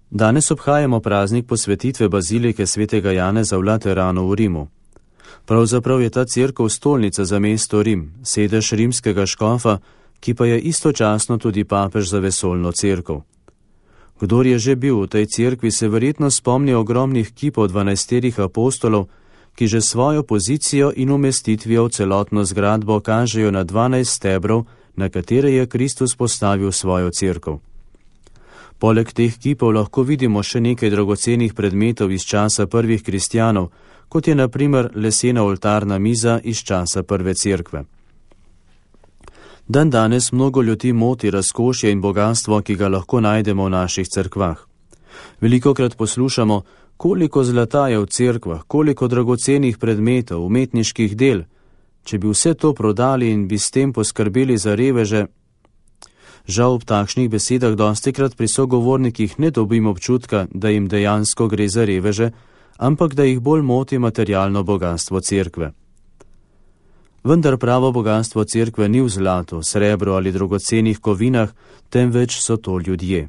Danes obhajamo praznik posvetitve bazilike svetega Janeza v Lateranu v Rimu. Pravzaprav je ta cerkev stolnica za mesto Rim, sedež rimskega škofa, ki pa je istočasno tudi papež za vesoljno cerkev. Kdor je že bil v tej cerkvi, se verjetno spomni ogromnih kipov 12 apostolov, ki že svojo pozicijo in umestitvijo v celotno zgradbo kažejo na 12 stebrov, na katere je Kristus postavil svojo cerkev. Poleg teh kipov lahko vidimo še nekaj dragocenih predmetov iz časa prvih kristjanov, kot je na primer lesena oltarna miza iz časa prve cerkve. Dan danes mnogo ljudi moti razkošje in bogatstvo, ki ga lahko najdemo v naših cerkvah. Velikokrat poslušamo, koliko zlata je v cerkvah, koliko dragocenih predmetov, umetniških del. Če bi vse to prodali in bi s tem poskrbeli za reveže. Žal ob takšnih besedah dostikrat pri sogovornikih ne dobim občutka, da jim dejansko gre za reveže, ampak da jih bolj moti materialno bogatstvo cerkve. Vendar pravo bogatstvo cerkve ni v zlatu, srebru ali dragocenih kovinah, temveč so to ljudje.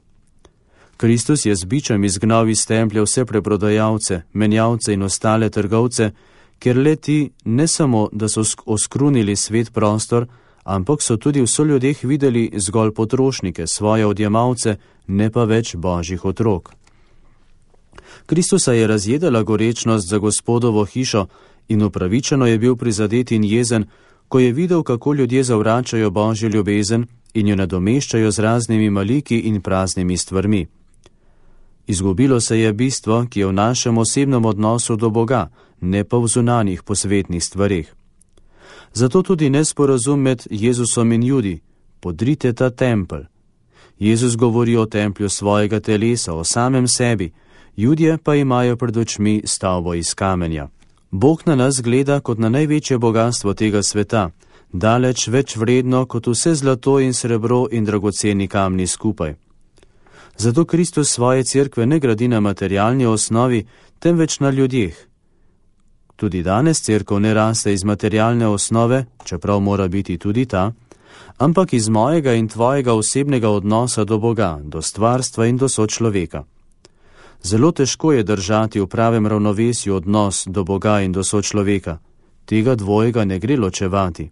Kristus je z bičem izgnal iz templja vse preprodajalce, menjalce in ostale trgovce, ker le ti ne samo, da so oskrunili svet prostor, ampak so tudi v soljudeh videli zgolj potrošnike, svoje odjemalce, ne pa več božjih otrok. Kristusa je razjedala gorečnost za Gospodovo hišo in upravičeno je bil prizadet in jezen, ko je videl, kako ljudje zavračajo božjo ljubezen in jo nadomeščajo z raznimi maliki in praznimi stvarmi. Izgubilo se je bistvo, ki je v našem osebnem odnosu do Boga, ne pa v zunanjih posvetnih stvareh. Zato tudi nesporazum med Jezusom in Judi: podrite ta tempelj. Jezus govori o templju svojega telesa, o samem sebi, Judje pa imajo pred očmi stavbo iz kamenja. Bog na nas gleda kot na največje bogatstvo tega sveta, daleč več vredno kot vse zlato in srebro in dragoceni kamni skupaj. Zato Kristus svoje cerkve ne gradi na materialni osnovi, temveč na ljudeh. Tudi danes cerkev ne raste iz materialne osnove, čeprav mora biti tudi ta, ampak iz mojega in tvojega osebnega odnosa do Boga, do stvarstva in do sočloveka. Zelo težko je držati v pravem ravnovesju odnos do Boga in do sočloveka. Tega dvojega ne gre ločevati.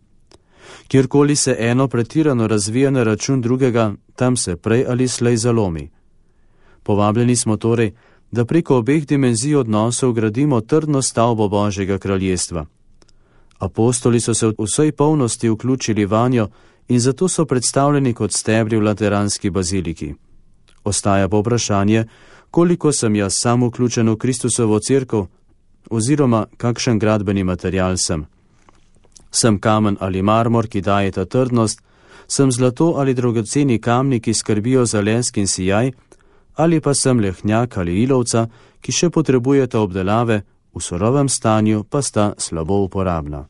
Kjerkoli se eno pretirano razvija na račun drugega, tam se prej ali slej zalomi. Povabljeni smo torej, da preko obeh dimenzij odnosov gradimo trdno stavbo Božjega kraljestva. Apostoli so se v vsej polnosti vključili vanjo in zato so predstavljeni kot stebri v lateranski baziliki. Ostaja pa vprašanje, koliko sem jaz sam vključen v Kristusovo cerkev, oziroma kakšen gradbeni material sem. Sem kamen ali marmor, ki daje ta trdnost, sem zlato ali dragoceni kamni, ki skrbijo za lesk in sijaj, ali pa sem lehnjak ali ilovca, ki še potrebujeta obdelave, v surovem stanju pa sta slabo uporabna.